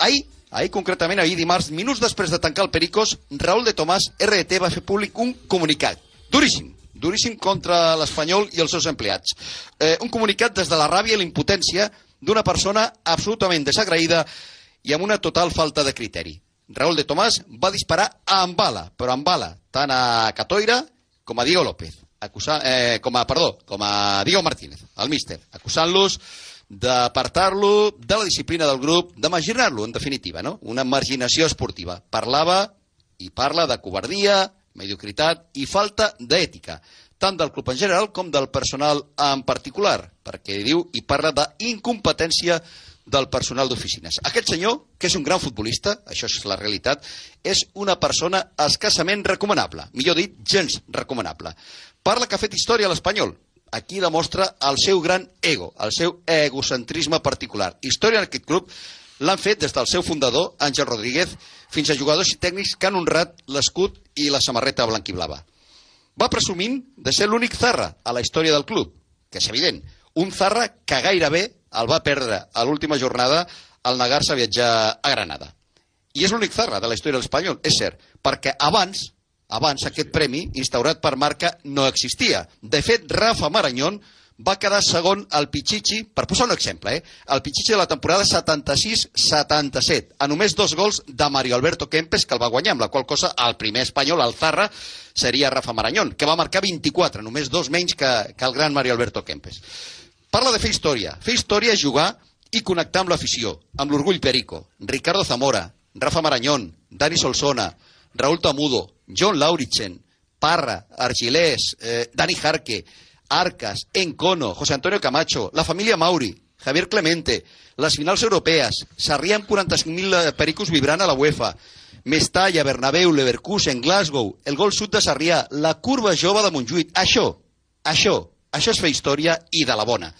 Ahir concretament, ahir dimarts, minuts després de tancar el Pericos, Raúl de Tomàs, RDT, va fer públic un comunicat. Duríssim contra l'Espanyol i els seus empleats. Un comunicat des de la ràbia i la impotència d'una persona absolutament desagraïda i amb una total falta de criteri. Raúl de Tomàs va disparar amb bala, però amb bala, tant a Catoira com a Diego López, com a Diego Martínez, el míster, acusant-los d'apartar-lo de la disciplina del grup, de marginar-lo, en definitiva, no? Una marginació esportiva. Parlava i parla de covardia, mediocritat i falta d'ètica, tant del club en general com del personal en particular, perquè diu i parla d'incompetència del personal d'oficines. Aquest senyor, que és un gran futbolista, això és la realitat, és una persona escassament recomanable, millor dit, gens recomanable. Parla que ha fet història a l'Espanyol. Aquí demostra el seu gran ego, el seu egocentrisme particular. Història en aquest club l'han fet des del seu fundador, Àngel Rodríguez, fins a jugadors i tècnics que han honrat l'escut i la samarreta blanquiblava. Va presumint de ser l'únic Zarra a la història del club, que és evident, un Zarra que gairebé el va perdre a l'última jornada al negar-se a viatjar a Granada. I és l'únic Zarra de la història de l'Espanyol, és cert, perquè abans aquest premi, instaurat per Marca, no existia. De fet, Rafa Marañón va quedar segon al Pichichi, per posar un exemple, el Pichichi de la temporada 76-77, a només 2 gols de Mario Alberto Kempes, que el va guanyar, amb la qual cosa el primer espanyol, el Zarra, seria Rafa Marañón, que va marcar 24, només 2 menys que el gran Mario Alberto Kempes. Parla de fer història. Fer història és jugar i connectar amb l'afició, amb l'orgull perico. Ricardo Zamora, Rafa Marañón, Dani Solsona, Raúl Tamudo, John Lauritzen, Parra, Argilés, Dani Jarque, Arcas, Encono, José Antonio Camacho, la família Mauri, Javier Clemente, les finals europees, Sarrià amb 45.000 pericos vibrant a la UEFA, Mestalla, Bernabéu, Leverkusen, Glasgow, el gol sud de Sarrià, la curva jove de Montjuïc. Això és fer història i de la bona.